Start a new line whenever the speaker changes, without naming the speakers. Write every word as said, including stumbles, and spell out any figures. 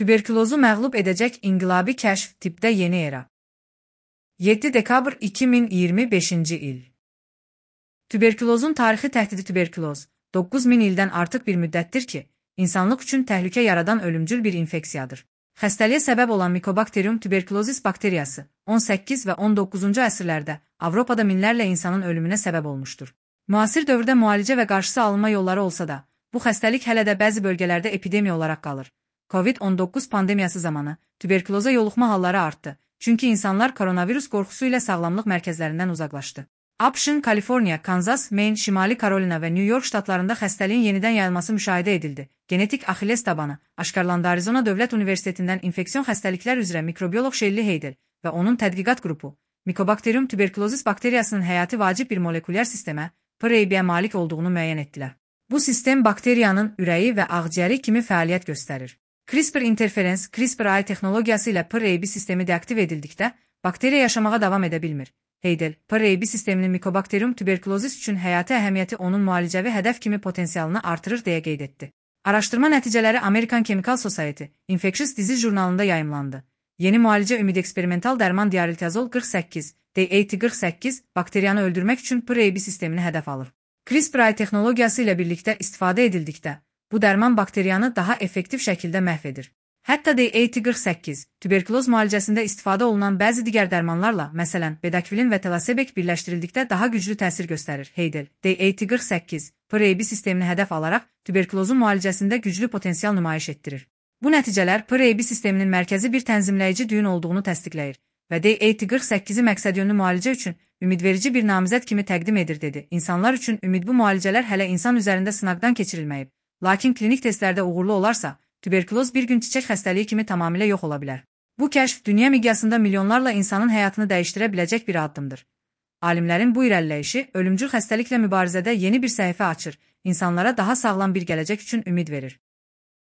Tüberkülozu məğlub edəcək inqilabi kəşf tipdə yeni era. yeddi dekabr iki min iyirmi beşinci il. Tüberkülozun tarixi təhdidi. Tüberküloz doqquz min ildən artıq bir müddətdir ki, insanlıq üçün təhlükə yaradan ölümcül bir infeksiyadır. Xəstəliyə səbəb olan Mycobacterium tuberculosis bakteriyası on səkkiz və on doqquzuncu əsrlərdə Avropada minlərlə insanın ölümünə səbəb olmuşdur. Müasir dövrdə müalicə və qarşısı alınma yolları olsa da, bu xəstəlik hələ də bəzi bölgələrdə epidemiya olaraq qalır. Covid on doqquz pandemiyası zamanı tüberküloza yoluxma halları artdı, çünki insanlar koronavirus qorxusu ilə sağlamlıq mərkəzlərindən uzaqlaşdı. ABŞ, Kaliforniya, Kanzas, Maine, Şimali Karolina və New York ştatlarında xəstəliyin yenidən yayılması müşahidə edildi. Genetik Axilles tabanı aşkarlandı. Arizona Dövlət Universitetindən infeksion xəstəliklər üzrə mikrobioloq Shelley Heydel və onun tədqiqat qrupu Mycobacterium tuberculosis bakteriyasının həyati vacib bir molekulyar sistemə, P R I B-yə malik olduğunu müəyyən etdilər. Bu sistem bakteriyanın ürəyi və ağciyəri kimi fəaliyyət göstərir. CRISPR interferens, CRISPR-A texnologiyası ilə P R I B sistemi deaktiv edildikdə, bakteriya yaşamağa davam edə bilmir. Heydel, P R I B sisteminin Mycobacterium tuberculosis üçün həyati əhəmiyyəti onun müalicəvi hədəf kimi potensialını artırır deyə qeyd etdi. Araşdırma nəticələri American Chemical Society Infectious Disease jurnalında yayımlandı. Yeni müalicə ümid eksperimental dərman diaritazol qırx səkkiz, D eighty qırx səkkiz bakteriyanı öldürmək üçün P R I B sistemini hədəf alır. CRISPR-A texnologiyası ilə birlikdə istifadə edildikdə, bu dərman bakteriyanı daha effektiv şəkildə məhv edir. Hətta D eighty qırx səkkiz, tüberküloz müalicəsində istifadə olunan bəzi digər dərmanlarla, məsələn, Bedakvilin və Telosebek birləşdirildikdə daha güclü təsir göstərir. Heydel, D eighty qırx səkkiz, P R I B sistemini hədəf alaraq tüberkülozun müalicəsində güclü potensial nümayiş etdirir. Bu nəticələr P R I B sisteminin mərkəzi bir tənzimləyici düyün olduğunu təsdiqləyir və D eighty qırx səkkizi məqsədyönlü müalicə üçün ümidverici bir namizəd kimi təqdim edir, dedi. İnsanlar üçün ümid bu müalicələr hələ insan üzərində sınaqdan keçirilməyib, lakin klinik testlərdə uğurlu olarsa, tüberküloz bir gün çiçək xəstəliyi kimi tamamilə yox ola bilər. Bu kəşf dünya miqyasında milyonlarla insanın həyatını dəyişdirə biləcək bir addımdır. Alimlərin bu irəliləyişi ölümcül xəstəliklə mübarizədə yeni bir səhifə açır, insanlara daha sağlam bir gələcək üçün ümid verir.